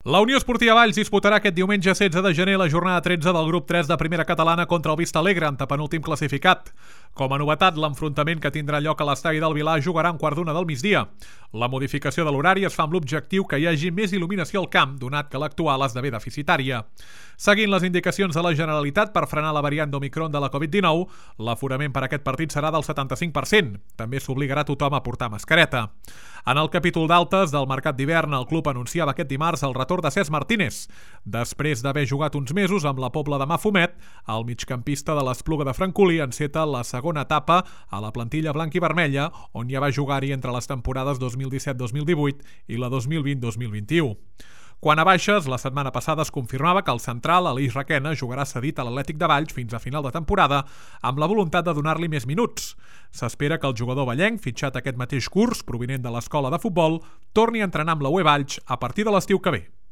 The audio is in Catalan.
La Unió Esportiva Valls disputarà aquest diumenge 16 de gener la jornada 13 del grup 3 de primera catalana contra el Vista Alegre, antepenúltim classificat. Com a novetat, l'enfrontament que tindrà lloc a l'estadi del Vilar jugarà a un quart d'una del migdia. La modificació de l'horari es fa amb l'objectiu que hi hagi més il·luminació al camp, donat que l'actual esdevé deficitària. Seguint les indicacions de la Generalitat per frenar la variant d'Omicron de la Covid-19, l'aforament per aquest partit serà del 75%. També s'obligarà tothom a portar mascareta. En el capítol d'altes del mercat d'hivern, el club anunciava aquest dimarts el retorn de Cesc Martínez. Després d'haver jugat uns mesos amb la Pobla de Mafumet, el migcampista de l'Espluga de Francolí enceta la segona etapa a la plantilla blanc i vermella, on ja va jugar-hi entre les temporades 2017-2018 i la 2020-2021. Quant a baixes, la setmana passada es confirmava que el central, Aleix Requena, jugarà cedit a l'Atlètic de Valls fins a final de temporada amb la voluntat de donar-li més minuts. S'espera que el jugador vallenc, fitxat aquest mateix curs, provinent de l'escola de futbol, torni a entrenar amb la UE Valls a partir de l'estiu que ve.